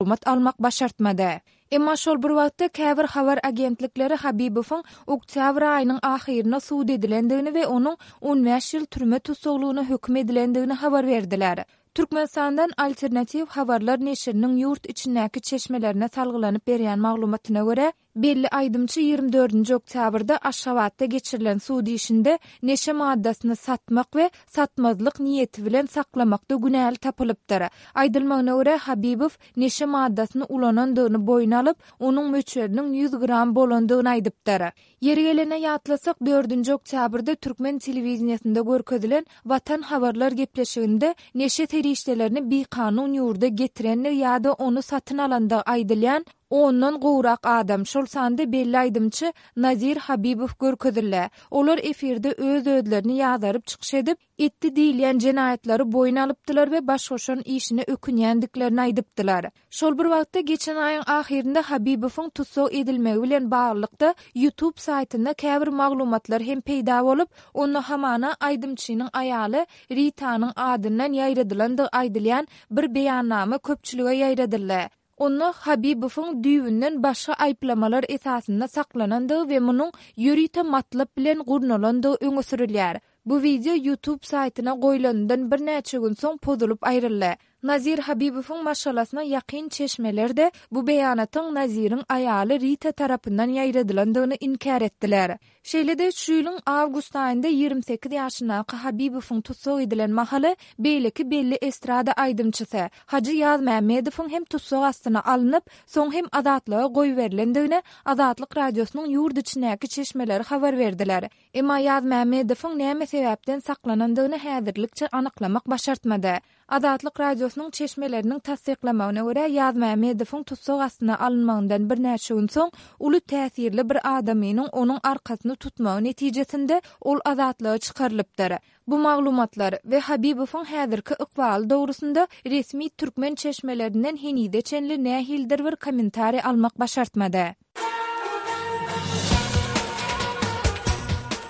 Maglumat almak başartmady. Emma şol bir wagtda käbir habar agentlikleri Habibowyň oktýabr aýynyň ahyrynda sud edilendigini we onuň 15 ýyl türme tussaglygyna höküm edilendigini habar berdiler. Türkmenistandan Alternatiw habarlar neşiriniň ýurt içindäki çeşmelerine salgylanyp berýän maglumatyna görä, Belli aýdymçy 24 nji oktýabrda Aşgabatda geçirilen sud işinde neşe maddasyny satmak we satmazlyk niýeti bilen saklamakda günäli tapylypdyr. Aýdylmagyna görä, Habibow neşe maddasyny ulanandygyny boýun alyp, onuň möçberiniň 100 gram bolandygyny aýdypdyr. Ýeri gelende ýatlasak, dördünji oktýabrda türkmen telewideniýesinde görkezilen Watan habarlar gepleşiginde neşe serişdelerini bikanun ýurda getirendigi ýa-da ony satyn alandygy aýdylýan Ondan gowrak adam, şol sanda belli aýdymçy Nazir Habibow görkezildi. Olar efirde öz-özlerini ýazaryp çykyş edip, etdi diýilýän jenaýatlary boýun alypdylar we baş goşan işine ökünýändiklerini aýdypdylar. Şol bir wagtda, geçen aýyň ahyrynda Habibowyň tussag edilmegi bilen baglylykda YouTube saýtynda käbir maglumatlar hem peýda bolup, onda hamana aýdymçynyň aýaly Ritanyň adyndan ýaýradylandygy aýdylýan bir beýannama köpçülige ýaýradyldy. Onda Habibowyň düýbünden başga aýyplamalar esasynda saklanandygy we munuň ýörite matlap bilen gurnalandygy öňe sürülýär. Bu wideo YouTube saýtyna goýlanyndan birnäçe gün soň pozulyp aýryldy. Nazir Habibowyň maşgalasyna ýakyn çeşmeler-de bu beýanatyň Naziriň aýaly Rita tarapyndan ýaýradylandygyny inkär etdiler. Şeýle-de, şu ýylyň awgust aýynda 28 ýaşyndaky Habibowyň tussag edilen mahaly beýleki belli estrada aýdymçysy Hajy Ýazmämmedowyň hem tussag astyna alnyp, soň hem azatlyga goýberilendigini Azatlyk Radiosynyň ýurt içindäki çeşmeleri habar berdiler. Emma Ýazmämmedowyň näme sebäpden saklanandygyny häzirlikçe anyklamak başartmady. Azatlyk Radiosynyň çeşmeleriniň tassyklamagyna görä, Ýazmämmedowyň tussag astyna alynmagyndan birnäçe gün soň, uly täsirli bir adamynyň onuň arkasyny tutmagy netijesinde ol azatlyga çykarylypdyr. Bu maglumatlar we Habibowyň häzirki ykbaly dogrusynda resmi türkmen çeşmelerinden henize çenli nähilidir bir kommentariý almak başartmady.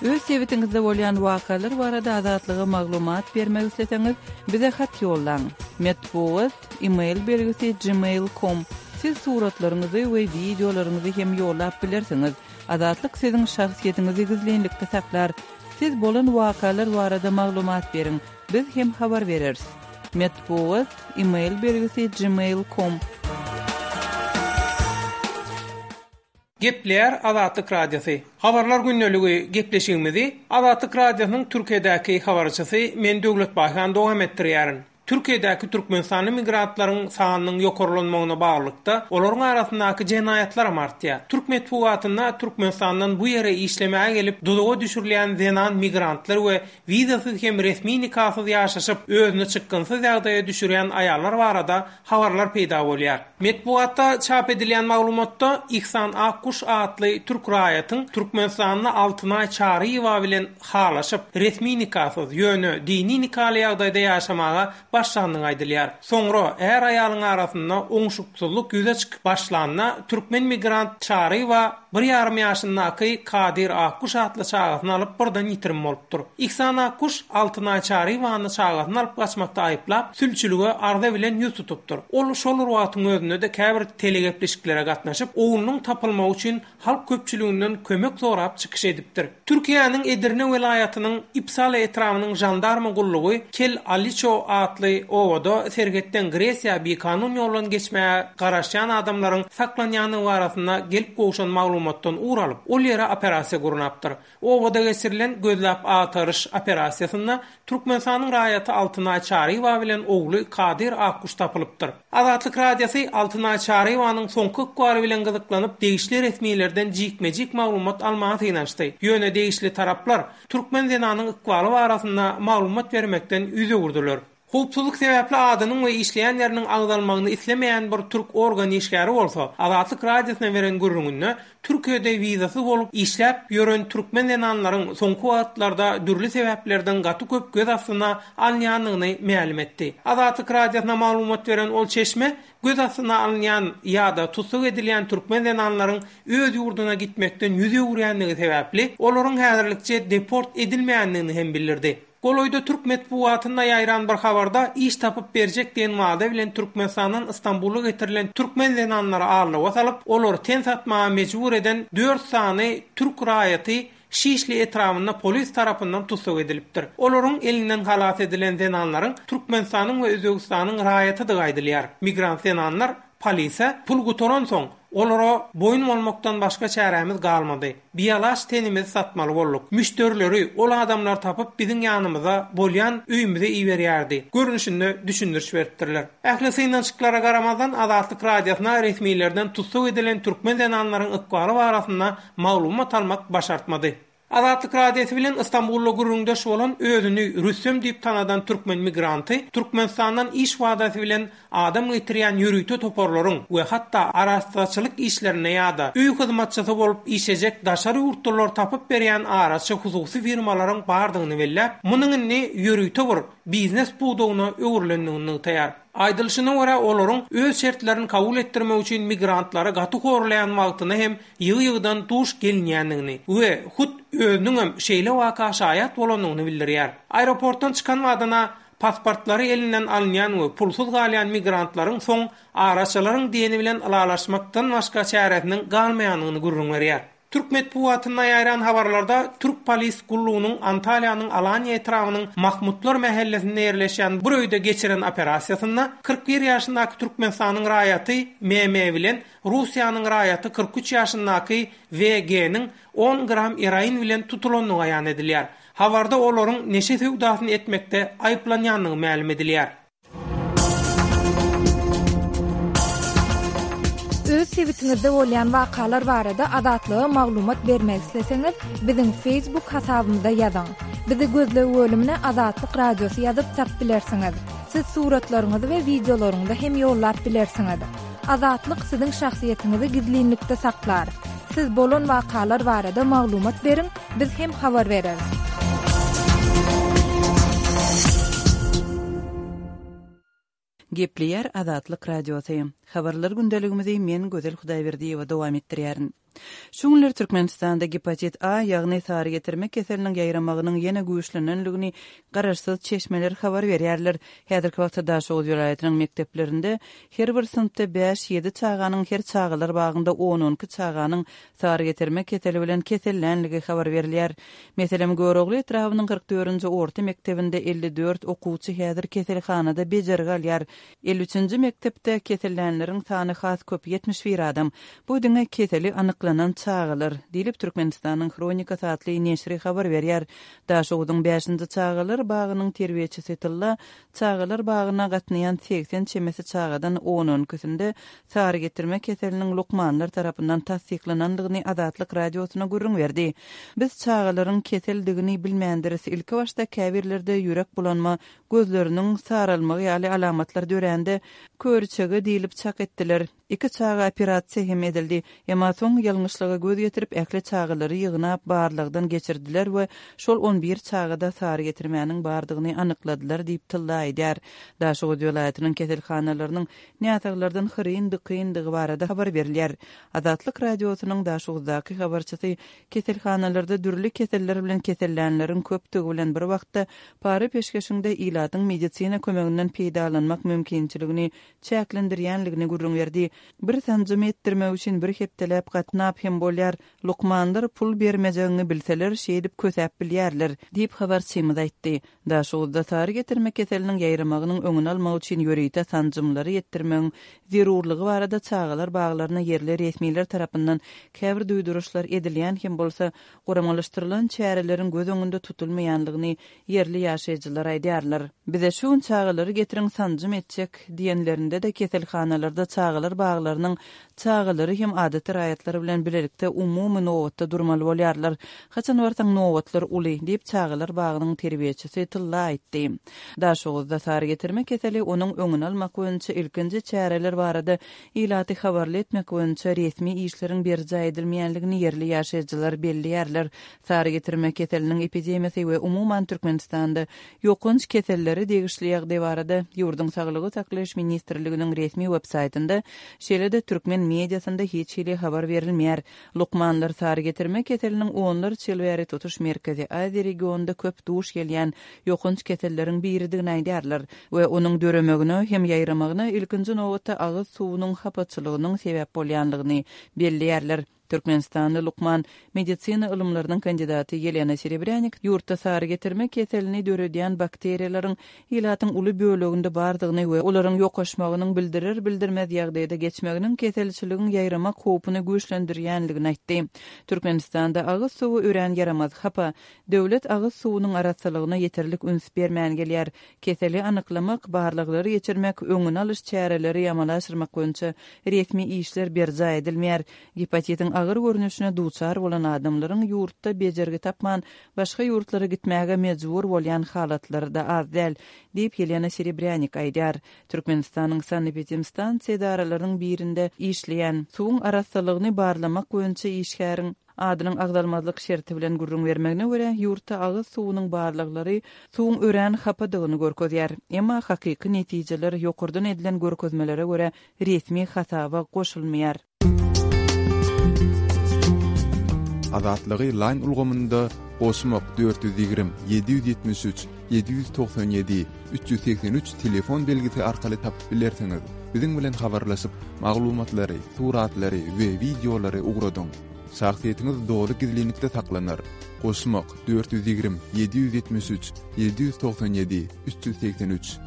Öz sebitiňizde bolýan wakalar barada Azatlyga maglumat bermek isleseňiz, bize hat ýollaň. Metbugat, e-mail belgisi gmail com. Siz suratlaryňyzy we wideolaryňyzy hem ýollap bilersiňiz. Azatlyk siziň şahsyýetiňizi gizlinlikde saklar. Siz bolan wakalar barada maglumat beriň, biz hem habar bereris. Metbugat, e-mail belgisi gmail com. Gepleýär Azatlyk Radiosy. Habarlar gündeligi gepleşigimizi Azatlyk Radiosynyň Türkiýedäki habarçysy men Döwlet Baýhan dowam etdirýärin. Türkiýedäki türkmenistanly migrantlaryň sanynyň ýokarlanmagyna baglylykda, olaryň arasyndaky jenaýatlaram artýar. Türk metbugatynda Türkmenistandan bu ýere işlemäge gelip, duzaga düşürilýän zenan migrantlar we wizasyz hem resmi nikasyz ýaşaşyp, özüni çykgynsyz ýagdaýa düşürýän aýallar barada habarlar peýda bolýar. Metbugatda çap edilýän maglumatda Ihsan Akguş atly türk raýatyň Türkmenistanda Altynaý Çaryýewa bilen halaşyp, resmi nikasyz, ýöne dini nikaly ýagdaýda ýaşamaga başlandygy aýdylýar. Soňra är-aýalyň arasynda oňşuksyzlyk ýüze çykyp başlanda, türkmen migrant Çaryýewa bir ýarym ýaşyndaky Kadyr Akguş atly çagasyny alyp birden ýitirim bolupdyr. Ihsan Akguş Altynaý Çaryýewany çagasyny alyp gaçmakda aýyplap, sülçülige arza bilen ýüz tutupdyr. Ol şol bir wagtyň özünde-de käbir telegepleşiklere gatnaşyp, oglunyň tapylmagy üçin halk köpçüliginden kömek sorap çykyş edipdir. Türkiýäniň Edirne welaýatynyň Ipsala etrabynyň žandarma gullugy Kel Aliço atly obada serhetden Gresiýa bikanun ýoldan geçmäge garaşýan adamlaryň saklanýandygy barasynda gelip gowşan maglumatdan ugur alyp, ol ýere operasiýa gurnapdyr. Obada geçirilen gözläp-agtaryş operasiýasynda Türkmenistanyň raýaty Altynaý Çaryýewa bilen ogly Kadyr Akguş tapylypdyr. Azatlyk Radiosy Altynaý Çaryýewanyň soňky ykbaly bilen gyzyklanyp, degişli resmilerden jikme-jik maglumat almaga synanyşdy. Ýöne degişli taraplar türkmen zenanyň ykbaly barasynda maglumat bermekden ýüz öwürdiler. Howpsuzlyk sebäpli adynyň we işleýän ýeriniň agzalmagyny islemeýän bir türk organ işgäri bolsa, Azatlyk Radiosyna beren gürrüňinde, Türkiýede wizasyz bolup işläp ýören türkmen zenanlaryň soňky wagtlarda dürli sebäplerden gaty köp göz astyna alynýandygyny mälim etdi. Azatlyk Radiosyna maglumat beren ol çeşme göz astyna alynýan ýa-da tussag edilýän türkmen zenanlaryň öz ýurduna gitmekden ýüz öwürýändigi sebäpli, olaryň häzirlikçe deport edilmeýändigini hem bildirdi. Golaýda türk metbugatynda ýaýran bir habarda iş tapyp berjek diýen wada bilen Türkmenistandan Stambula getirilen türkmen zenanlary aldawa salyp, olary ten satmaga mejbur eden dört sany türk raýaty Şişli etrabynda polis tarapyndan tussag edilipdir. Olaryň elinden halas edilen zenanlaryň Türkmenistanyň we Özbegistanyň raýatydygy aýdylýar. Migrant zenanlar polise pul gutaransoň, olara boýun bolmakdan başga çärämiz galmady. Bialaç tenimizi satmaly bolduk. Müşderileri ol adamlar tapyp biziň ýanymyza, bolýan öýümize iberýärdi. Görnüşinde düşündiriş beripdirler. Ähli synanyşyklara garamazdan Azatlyk Radiosyna resmilerden tussag edilen türkmen zenanlaryň ykbaly barasynda maglumat almak başartmady. Azatlyk Radiosy bilen Ystambulda gürrüňdeş bolan özüni Rüstem diýip tanadan türkmen migranty Türkmenistandan iş wadasy bilen adam getirýän ýörite toparlaryň we hatda arassaçylyk işlerinde ýa-da öý hyzmatçysy bolup işlejek daşary ýurtlulary tapyp berýän araçy hususy firmalaryň bardygyny belläp, munuň indi ýörite bir biznes pudagyna öwrülendigini nygtaýar. Aýdylyşyna görä, olaryň öz şertlerini kabul etdirmek üçin migrantlary gaty horlaýan wagtyna hem ýygy-ýygydan duş gelinýändigini we hut özüniňem şeýle waka şaýat bolandygyny bildirýär. Aeroportdan çykan badyna pasportlary elinden alynýan we pulsuz galýan migrantlaryň soň araçylaryň diýeni bilen ylalaşmakdan başga çäresiniň galmaýandygyny gürrüň berýär. Türk metbugatynda ýaýran habarlarda türk polis gullugynyň Antalýanyň Alaniýa etrabynyň Mahmutlar mähellesinde ýerleşýän bir öýde geçiren operasiýasynda 41 ýaşyndaky Türkmenistanyň raýaty MM bilen Russiýanyň raýaty 43 ýaşyndaky WG-niň on gram eroin bilen tutulandygy aýan edilýär. Habarda olaryň neşe söwdasyny etmekde aýyplanýandygy mälim edilýär. Öz sebitiňizde bolýan wakalar barada Azatlyga maglumat bermek isleseňiz, biziň Facebook hasabymyza ýazyň. Bizi gözleg bölümine Azatlyk Radiosy ýazyp tap bilersiňiz. Siz suratlaryňyzy we wideolaryňyzy hem ýollap bilersiňiz. Azatlyk siziň şahsyýetiňizi gizlinlikde saklar. Siz bolan wakalar barada maglumat beriň, biz hem habar bereris. Gepleýär Azatlyk Radiosy. Habarlar gündeligimizi men Gözel Hudaýberdiýewa dowam etdirýärin. Şu günler Türkmenistanda gepatit A, ýagny sary getirme keseliniň ýaýramagynyň ýene güýçlenenligini garaşsyz çeşmeler habar berýärler. Häzirki wagtda Daşoguz welaýatynyň mekdeplerinde her bir synpda bäş-ýedi çaganyň, her çagalar bagynda on-on iki çaganyň sary getirme keseli bilen kesellänligi habar berilýär. Meselem, Görogly etrabynyň 44-nji orta mekdebinde 54 okuwçy häzir keselhanada bejergi alýar. 53-nji mekdepde kesellänleriň sany has köp, 71 adam. Bu diňe keseli anyklanan çagalar, diýlip, Türkmenistanyň Hronikasy atly neşiri habar berýär. Daşoguzyň bäşinji çagalar bagynyň terbiýeçisi Tylla çagalar bagyna gatnaýan 80 çemesi çagadan on-on ikisinde sary getirme keseliniň lukmanlar tarapyndan tassyklanandygyny Azatlyk Radiosyna gürrüň berdi. Biz çagalaryň keseldigini bilmändiris. Ilkibaşda käbirlerde ýürek bulanma, gözleriniň saralmagy ýaly alamatlar dörände, köriçege diýlip çak etdiler. Iki çaga operasiýa hem edildi. Emma soň ýalňyşlyga göz ýetirip, ähli çagalary ýygnap, barlagdan geçirdiler we şol on bir çagada sary getirmäniň bardygyny anykladylar diýip, Tylla aýdýar. Daşoguz welaýatynyň keselhanalarynyň näsaglardan hyryn-dykyndygy barada habar berilýär. Azatlyk Radiosynyň Daşoguzdaky habarçysy keselhanalarda dürli keseller bilen kesellänleriň köpdügi bilen bir wagtda, para-peşgeşiň-de ilatyň medisina kömeginden peýdalanmak mümkinçiligini çäklendirýänligini gürrüň berdi. Bir sanjymy etdirmek üçin bir hepdeläp gatnap hem bolýar. Lukmanlar pul bermejegiňi bilseler, şeýdip kösäp bilýärler, diýip, habarçymyz aýtdy. Daşoguzda sary getirme keseliniň ýaýramagynyň öňüni almak üçin ýörite sanjymlary etdirmegiň zerurlygy barada çagalar baglaryna ýerli resmiler tarapyndan käbir duýduryşlar edilýän hem bolsa, guramalaşdyrylan çäreleriň göz öňünde tutulmaýanlygyny ýerli ýaşaýjylar aýdýarlar. Bize şu gün çagalary getiriň sanjym etjek diýenlerinde-de keselhanalarda çagalar baglarynyň çagalary hem adaty raýatlar bilen bilelikde umumy nobatda durmaly bolýarlar. Haçan barsaň nobatlar uly, diýip, çagalar bagynyň terbiýeçisi Tylla aýtdy. Daşoguzda sary getirme keseli, onuň öňüni almak boýunça ilkinji çäreler barada ilaty habarly etmek boýunça resmi işleriň berjaý edilmeýänligini ýerli ýaşaýjylar belleýärler. Sary getirme keseliniň epidemiýasy we umuman Türkmenistanda ýokanç kesellere degişli ýagdaý barada ýurduň Saglygy saklaýyş ministrliginiň resmi websaýtynda, şeýle-de türkmen mediasynda hiç hili habar berilmeýär. edilmeýär. Lukmanlar sarygetirme keseliniň onlarça ýyl bäri tutuş Merkezi Aziýa regionynda köp duş gelýän ýokanç keselleriň biridigini aýdýarlar we onuň döremegine hem ýaýramagyna ilkinji nobatda agyz suwunyň hapaçylygynyň sebäp bolýanlygyny belleýärler. Türkmenistanly lukman, medisina ylymlarynyň kandidaty Ýelena Serebrýanik ýurtda sarygetirme keselini döredýän bakteriýalaryň ilatyň uly böleginde bardygyny we olaryň ýokaşmagynyň bildirer-bildirmez ýagdaýda geçmeginiň keselçiligiň ýaýramak howpuny güýçlendirýänligini aýtdy. Türkmenistanda agyz suwy örän ýaramaz, hapa. Döwlet agyz suwunyň arassalygyna ýeterlik üns bermän gelýär. Keseli anyklamak, barlaglary geçirmek, öňüni alyş çäreleri amala aşyrmak boýunça resmi işler berjaý edilmeýär. Gepatitiň agyr görnüşine duçar bolan adamlaryň ýurtda bejergi tapman, başga ýurtlara gitmäge mejbur bolýan halatlary-da az däl, diýip, Ýelena Serebrýanik aýdýar. Türkmenistanyň sanepidemstansiýa edaralarynyň birinde işleýän, suwuň arassalygyny barlamak boýunça işgäriň adynyň agzalmazlyk şerti bilen gürrüň bermegine görä, ýurtda agyz suwunyň barlaglary suwuň örän hapadygyny görkezýär. Emma hakyky netijeler ýokardan edilen görkezmelere görä resmi hasaba goşulmaýar. Azatlygy Line ulgamynda goşmak 420 773 797 383 telefon belgisi arkaly tapyp bilersiňiz. Biziň bilen habarlaşyp, maglumatlary, suratlary we wideolary ugradyň. Şahsyýetiňiz doly gizlinlikde saklanar. Goşmak 420 773 797 383.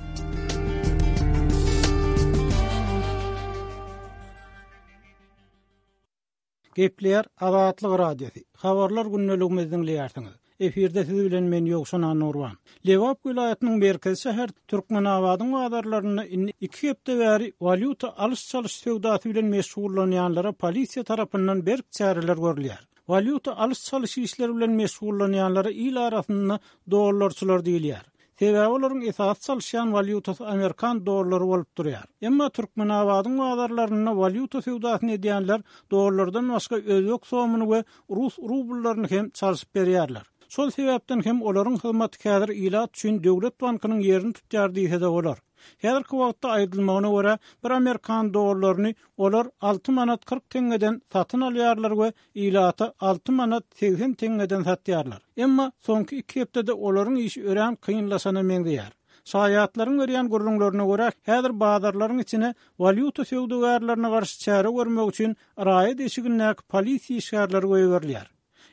Gepleýär Azatlyk Radiosy. Habarlar gündeligimizi diňleýärsiňiz. Efirde siz bilen men Ýowşan Annagurban. Lebap welaýatynyň merkezi şäheri Türkmenabadyň bazarlarynda indi iki hepde bäri walýuta alyş-çalyş söwdasy bilen meşgullanýanlara polisiýa tarapyndan berk çäreler görülýär. Walýuta alyş-çalyş işleri bilen meşgullanýanlara il arasynda dollarçylar diýilýär. Sebäbi olaryň esasy çalyşýan walýutasy amerikan dollary bolup durýar. Emma Türkmenabadyň bazarlarynda walýuta söwdasyny edýänler dollardan başga özbek somyny we rus rubllaryny hem çalşyp berýärler. Şol sebäpden hem olaryň hyzmaty häzir ilat üçin döwlet bankynyň ýerini tutýar diýse-de bolar. Häzirki wagtda aýdylmagyna görä, bir amerikan dollaryny olar alty manat 40 teňňeden satyn alýarlar we ilata alty manat 80 teňňeden satýarlar. Emma soňky iki hepdede olaryň işi örän kynlaşana meňzeýär. Şaýatlaryň berýän gürrüňlerine görä, häzir bazarlaryň içine walýuta söwdagärlerine garşy çäre görmek üçin raýat eşigindäki polisiýa işgärleri goýberilýär.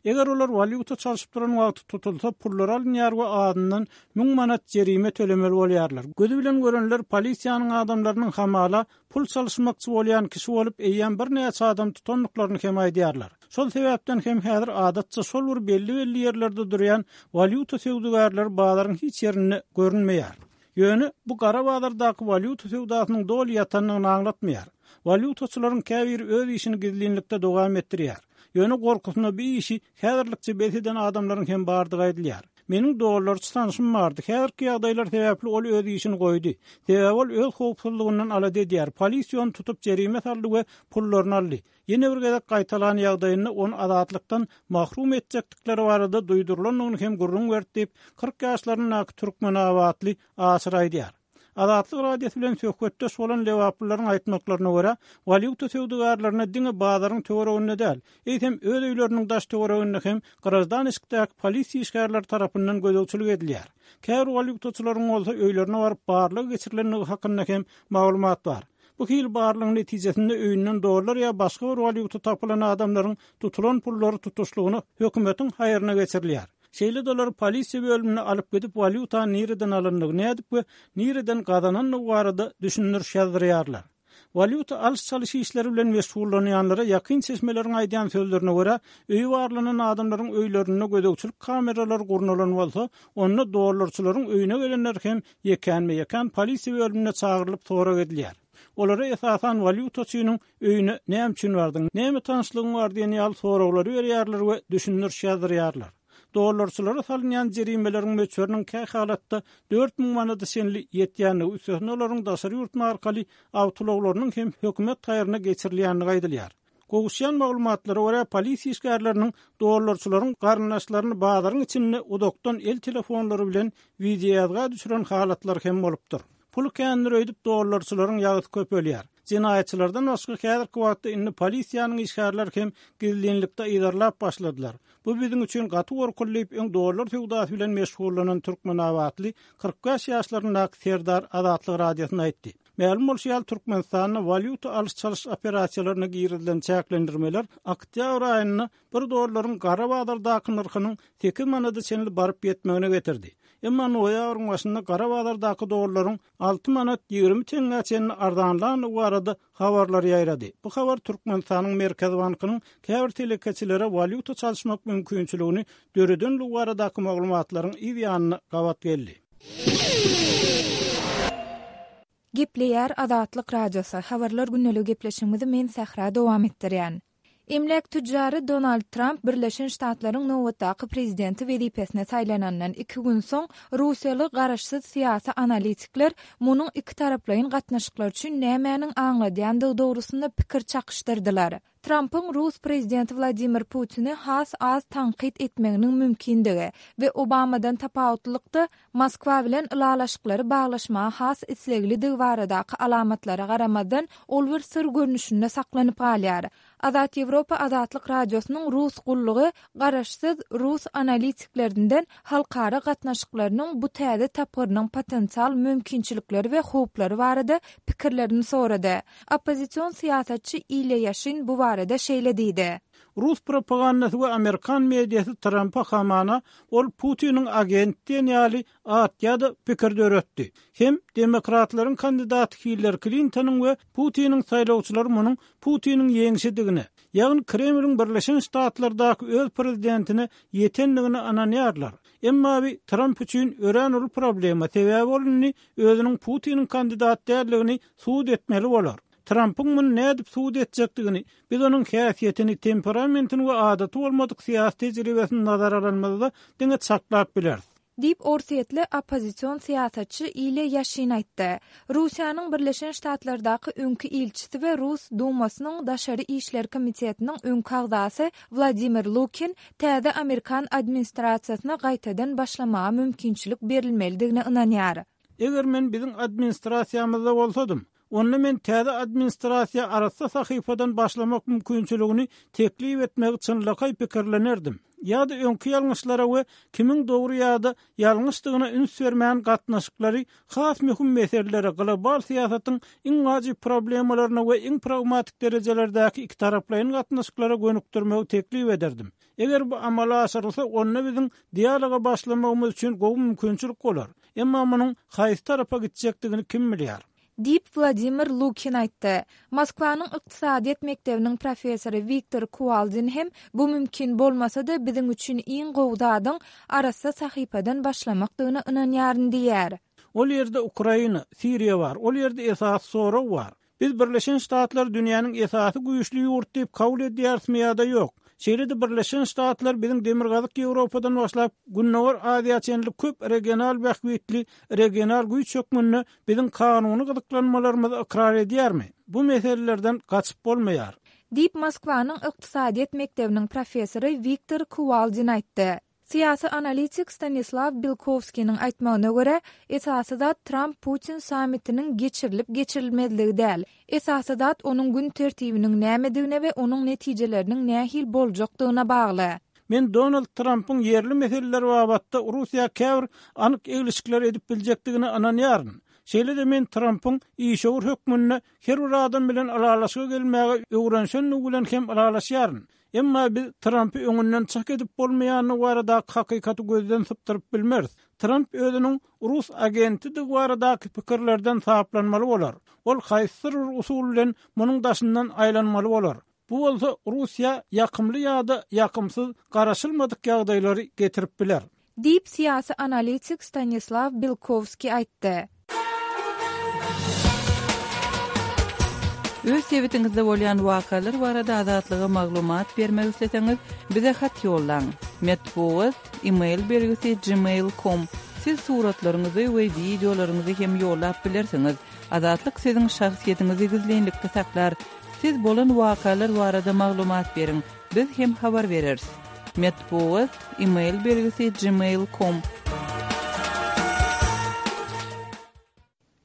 Eger olar walýuta çalşyp duran wagty tutulsa, pullary alynýar we azyndan müň manat jerime tölemeli bolýarlar. Gözi bilen görenler polisiýanyň adamlarynyň hamala pul çalyşmakçy bolýan kişi bolup, eýýäm birnäçe adam tutandyklaryny hem aýdýarlar. Şol sebäpden hem häzir adatça şol bir belli-belli ýerlerde durýan walýuta söwdagärleri bazaryň hiç ýerinde görünmeýär. Ýöne bu gara bazardaky walýuta söwdasynyň doly ýatandygyny aňlatmaýar. Walýutaçylaryň käbiri öz işini gizlinlikde dowam etdirýär. Ýöne gorkusyna bu işi häzirlikçe bes eden adamlaryň hem bardygy aýdylýar. Meniň dollarçy tanşym bardy. Häzirki ýagdaýlar sebäpli ol öz işini goýdy. Sebäbi ol öz howpsuzlygyndan alada edýär. Polisiýa ony tutup jerime saldy we pullaryny aldy. Ýene bir gezek gaýtalan ýagdaýynda ony azatlykdan mahrum etjekdikleri barada duýdurylandygyny hem gürrüň berdi diýip, 40 ýaşlaryndaky türkmenabatly Aşyr aýdýar. Azatlyk Radiosy bilen söhbetdeş bolan lebaplylaryň aýtmaklaryna görä, walýuta söwdagärlerine diňe bazaryň töwereginde däl, eýsem öz öýleriniň daş-töwereginde hem graždan eşikdäki polisiýa işgärleri tarapyndan gözegçilik edilýär. Käbir walýutaçylaryň bolsa öýlerine baryp barlag geçirilendigi hakynda hem maglumat bar. Bu hili barlagyň netijesinde öýünden dollar ýa başga bir walýuta tapylan adamlaryň tutulan pullary tutuşlygyna hökümetiň haýryna geçirilýär. Şeýle-de olary polisiýa bölümine alyp gidip walýutany nireden alandygy, nädip we nireden gazanandygy barada düşündiriş ýazdyrýarlar. Walýuta alyş-çalyş işleri bilen meşgullanýanlara ýakyn çeşmeleriň aýdýan sözlerine görä, öýi barlanan adamlaryň öýlerinde gözegçilik kameralary gurnalan bolsa, onda dollarçylaryň öýüne gelenler hem ýekänme-ýekän polisiýa bölümine çagyrylyp sorag edilýär. Olara esasan walýutaçynyň öýüne näme üçin bardyň, näme tanyşlygyň bar diýen ýaly soraglary berýärler we düşündiriş ýazdyrýarlar. Dollarçylara salynýan jerimeleriň möçberiniň kähalatda 4000 manada çenli ýetýändigi, üstesine olaryň daşary ýurt markaly awtoulaglarynyň hem hökümet haýryna geçirilýändigi aýdylýar. Gowuşýan maglumatlara görä, polisiýa işgärleriniň dollarçylaryň garyndaşlaryny bazaryň içinde uzakdan el telefonlary bilen wideoýazga düşüren halatlary hem bolupdyr. Puly kändir öýdüp dollarçylaryň ýagysy köpelýär. Jenaýatçylardan başga häzirki wagtda indi polisiýanyň işgärleri hem gizlinlikde yzarlap başladylar. Bu biziň üçin gaty gorkuly diýip, öň dollar söwdasy bilen meşgullanan türkmenabatly 45 ýaşlaryndaky Serdar Azatlyk Radiosyna aýtdy. Mälim bolşy ýaly, Türkmenistanda walýuta alyş-çalyş operasiýalaryna girizilen çäklendirmeler oktýabr aýynda bir dollaryň gara bazardaky nyrhynyň sekiz manada çenli baryp ýetmegine getirdi. Emma noýabryň başynda gara bazardaky dollaryň alty manat 20 teňňä çenli arzanlandygy barada habarlar ýaýrady. Bu habar Türkmenistanyň Merkezi bankynyň käbir telekeçilere walýuta çalyşmak mümkinçiligini döredenligi baradaky maglumatlaryň yz ýanyna gabat geldi. Gepleýär Azatlyk Radiosy, Habarlar gündeligi gepleşigimizi men Sähra dowam etdirýän. Emläk tütjary Donald Tramp Birleşen Ştatlaryň nobatdaky prezidenti wezipesine saýlanandan iki gün soň, russiýaly garaşsyz syýasy analitikler munuň ikitaraplaýyn gatnaşyklar üçin nämäniň aňladýandygy dogrusynda pikir çakyşdyrdylar. Trampyň rus prezidenti Wladimir Putini has az tankyt etmeginiň mümkindigi we Obamadan tapawutlylykda, Moskwa bilen ylalaşyklary baglaşmaga has isleglidigi baradaky alamatlara garamazdan, ol bir syr görnüşinde saklanyp galýar. Azat Ýewropa Azatlyk Radiosynyň Rus gullugy garaşsyz rus analitiklerinden halkara gatnaşyklarynyň bu täze tapgyrynyň potensial mümkinçilikleri we howplary barada pikirlerini sorady. Oppozision syýasatçy Ilýa Ýaşin bu barada şeýle diýdi. Rus propagandasy we amerikan mediasy Trampa hamana ol Putiniň agenti diýen ýaly at ýa-da pikir döretdi. Hem demokratlaryň kandidaty Hillari Klintonyň we Putiniň saýlawçylary munuň Putiniň ýeňşidigine, ýagny Kremliň Birleşen Ştatlardaky öz prezidentine ýetendigine ynanýarlar. Emma bi Tramp üçin örän uly problema, sebäbi ol indi özüniň Putiniň kandidat däldigini subut etmeli bolar. Trampyň muny nädip subut etjekdigini, biz onuň häsiýetini, temperamentini we adaty bolmadyk syýasy tejribesini nazara alanymyzda diňe çaklap bileris. Diýip, orsýetli oppozision syýasatçy Ilýa Ýaşin aýtdy. Russiýanyň Birleşen Ştatlardaky öňki ilçisi we Rus Dumasynyň Daşary işler komitetiniň öňki agzasy Wladimir Lukin täze amerikan administrasiýasyna gaýtadan başlamaga mümkinçilik berilmelidigine ynanýar. Eger men biziň administrasiýamyzda bolsadym, onda men täze administrasiýa arassa sahypadan başlamak mümkinçiligini teklip etmegi çynlakaý pikirlenerdim. Ýa-da öňki ýalňyşlara we kimiň dogry ýa-da ýalňyşdygyna üns bermän gatnaşyklary has möhüm meselelere, global syýasatyň iň wajyp problemalaryna we iň pragmatik derejelerdäki ikitaraplaýyn gatnaşyklara gönükdirmegi teklip ederdim. Eger bu amala aşyrylsa, onda biziň dialoga başlamagymyz üçin gowy mümkinçilik bolar. Emma munuň haýsy tarapa gitjekdigini kim bilýär? Diýip, Wladimir Lukin aýtdy. Moskwanyň ykdysadyýet mekdebiniň professory Wiktor Kuwaldin hem bu mümkin bolmasa-da, biziň üçin iň gowy zadyň arassa sahypadan başlamakdygyna ynanýaryn diýýär. Ol ýerde Ukraina, Siriýa bar, ol ýerde esasy sorag bar. Biz Birleşen Ştatlary dünýäniň esasy güýçli ýurt diýip kabul edýärismi ýa-da ýok? Şeýle-de Birleşen Ştatlar biziň Demirgazyk Ýewropadan başlap, Gündogar Aziýa çenli köp regional bähbitli regional güýç hökmünde biziň kanuny gyzyklanmalarymyzy ykrar edýärmi? Bu meselelerden gaçyp bolmaýar. Diýip, Moskwanyň ykdysadyýet mekdebiniň professory Wiktor Kuwaldin aýtdy. Syýasy analitik Stanislaw Bilkowskiniň aýtmagyna görä, esasy zat Tramp-Putin sammitiniň geçirilip-geçirilmezligi däl. Esasy zat onuň gün tertibiniň nämedigine we onuň netijeleriniň nähili boljakdygyna bagly. Men Donald Trampyň ýerli meseleler babatda Russiýa käbir anyk eglişikler edip biljekdigine ynanýaryn. Şeýle-de men Trampyň işewür hökmünde her bir adam bilen ylalaşyga gelmäge öwrenişendigi bilen hem ylalaşýaryn. Emma biz Trampy öňünden çak edip bolmaýandygy baradaky hakykaty gözden sypdyryp bilmeris. Tramp özüniň rus agentidigi baradaky pikirlerden saplanmaly bolar. Ol haýsydyr bir usul bilen munuň daşyndan aýlanmaly bolar. Bu bolsa Russiýa ýakymly ýa-da ýakymsyz garaşylmadyk ýagdaýlary getirip biler. Diýip, syýasy analitik Stanislaw Belkowskiý aýtdy. Öz sebitiňizde bolýan wakalar barada Azatlyga maglumat bermek isleseňiz, bize hat ýollaň. Metbugat, e-mail belgisi gmail com. Siz suratlaryňyzy we wideolaryňyzy hem ýollap bilersiňiz. Azatlyk siziň şahsyýetiňizi gizlinlikde saklar. Siz bolan wakalar barada maglumat beriň, biz hem habar bereris. Metbugat, e-mail belgisi gmail com.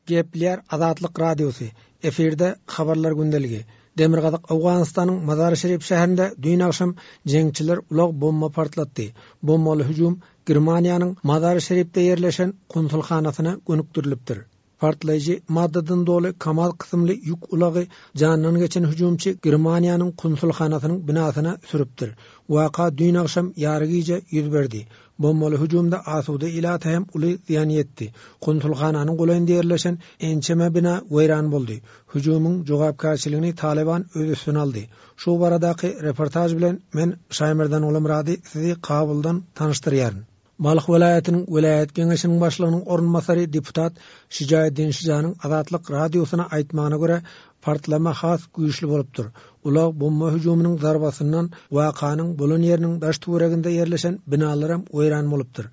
Gepleýär Azatlyk Radiosy. Efirde Habarlar gündeligi. Demirgazyk Owganystanyň Mazar-i-Şerif şäherinde düýn agşam jeňçiler ulag bomba partlatdy. Bombaly hüjüm Germaniýanyň Mazar-i-Şerifde ýerleşen konsulhanasyna gönükdirilipdir. Partlaýjy maddadan doly Kamaz kysymly ýük ulagy janyndan geçen hüjümçi Germaniýanyň konsulhanasynyň binasyna sürüpdir. Waka düýn agşam ýarygije ýüz berdi. Bombaly hüjümde asuda ilata hem uly zyýan ýetdi. Konsulhananyň golaýynda ýerleşen ençeme bina weýran boldy. Hüjümiň jogapkärçiligini Talyban öz üstüne aldy. Şu baradaky reportaž bilen men Şaýmerdan Gulamyrady sizi Kabuldan tanyşdyrýaryn. Balh welaýatynyň welaýat geňeşiniň başlygynyň orunbasary deputat Şijaeddin Şijanyň Azatlyk Radiosyna aýtmagyna görä, partlama has güýçli bolupdyr. Ulag bomba hüjüminiň zarbasyndan wakanyň bolan ýeriniň daş-töwereginde ýerleşen binalaram weýran bolupdyr.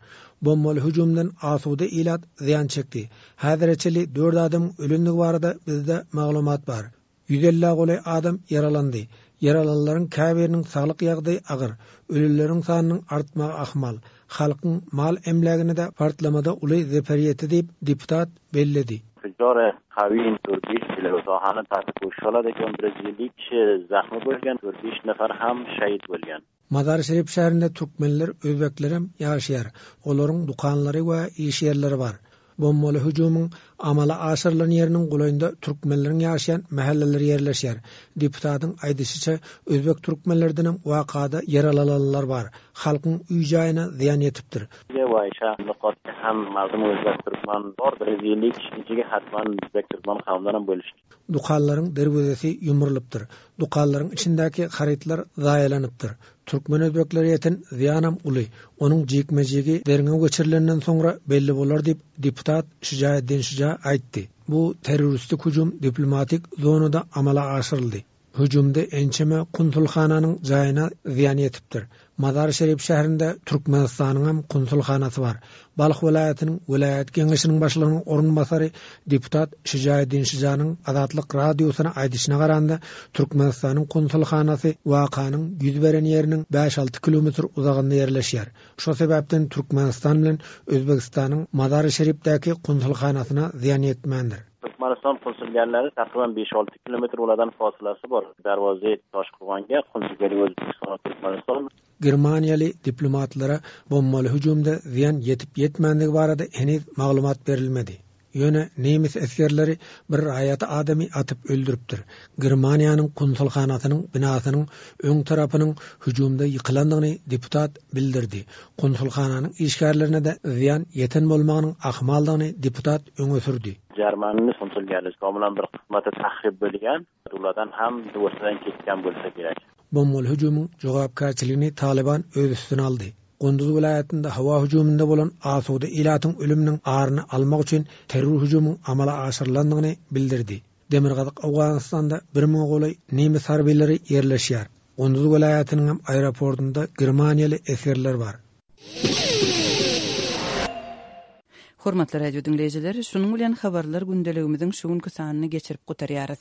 Bombaly hüjümden asuda ilat zyýan çekdi. Häzire çenli dört adamyň ölendigi barada bizde maglumat bar. Ýüz ellä golaý adam ýaralandy. Ýaralanlaryň käbiriniň saglyk ýagdaýy agyr. Ölüleriň sanynyň artmagy ahmal. Halkyň mal-emlägine-de partlamada uly zeper ýetdi diýip, deputat belledi. Mazar-i-Şerif şäherinde türkmenler, özbeklerem ýaşaýar. Olaryň dükanlary we iş ýerleri bar. Bombaly hüjümiň amala aşyrylan ýeriniň golaýynda türkmenleriň ýaşaýan mähelleleri ýerleşýär. Deputatyň aýdyşyça, özbek türkmenlerdenem wakada ýaralalanlar bar. Halkyň öý-jaýyna zyýan ýetipdir. Dükanlaryň derwezesi ýumrulypdyr. Dükanlaryň içindäki harytlar zaýalanypdyr. Türkmen-özbeklere ýeten zyýanam uly. Onuň jikme-jigi derňew geçirilenden soňra belli bolar diýip, deputat Şujaeddin Şuja aýtdy. Bu terroristik hüjüm diplomatik zonada amala aşyryldy. Hüjümde ençeme konsulhananyň jaýyna zyýan ýetipdir. Mazar-i-Şerif şäherinde Türkmenistanyňam konsulhanasy bar. Balh welaýatynyň welaýat geňeşiniň başlygynyň orunbasary deputat Şujaeddin Şujanyň Azatlyk Radiosyna aýdyşyna garanda, Türkmenistanyň konsulhanasy wakanyň ýüz beren ýeriniň bäş-alty kilometr uzagynda ýerleşýär. Şo sebäpden Türkmenistan bilen Özbegistanyň Mazar-i-Şerifdäki konsulhanasyna zyýan ýetmändir. Türkmenistan konsulgärleri takryban beş-alty kilometr olardan fasylasy bar. Darwazy Toşkurganga, konsulgärlik Özbegistan we Türkmenistan. Germaniýaly diplomatlara bombaly hüjümde zyýan ýetip-ýetmändigi barada heniz maglumat berilmedi. Ýöne nemes esgerleri bir raýat adamy atyp öldüripdir. Germaniýanyň konsulhanasynyň binasynyň öň tarapynyň hüjümde ýykylandygyny deputat bildirdi. Konsulhananyň işgärlerine-de zyýan ýeten bolmagynyň ahmaldygyny deputat öňe sürdi. Germaniýanyň konsulgärligi bilen bir kysmaty tahryp bolgan, ulardan ham o'rtadan ketgan bo'lsa kerak. Bombaly hüjümiň jogapkärçiligini Talyban öz üstüne aldy. Gunduz welaýatynda howa hüjüminde bolan asuda ilatyň ölüminiň aryny almak üçin terror hüjümiň amala aşyrylandygyny bildirdi. Demirgazyk Owganystanda bir müňe golaý nemes harbylary ýerleşýär. Gunduz welaýatynyňam aeroportunda germaniýaly esgerler bar. Hormatly radio diňleýjiler, şunuň bilen habarlar gündeligimiziň şu günki sanyny geçirip gutarýarys.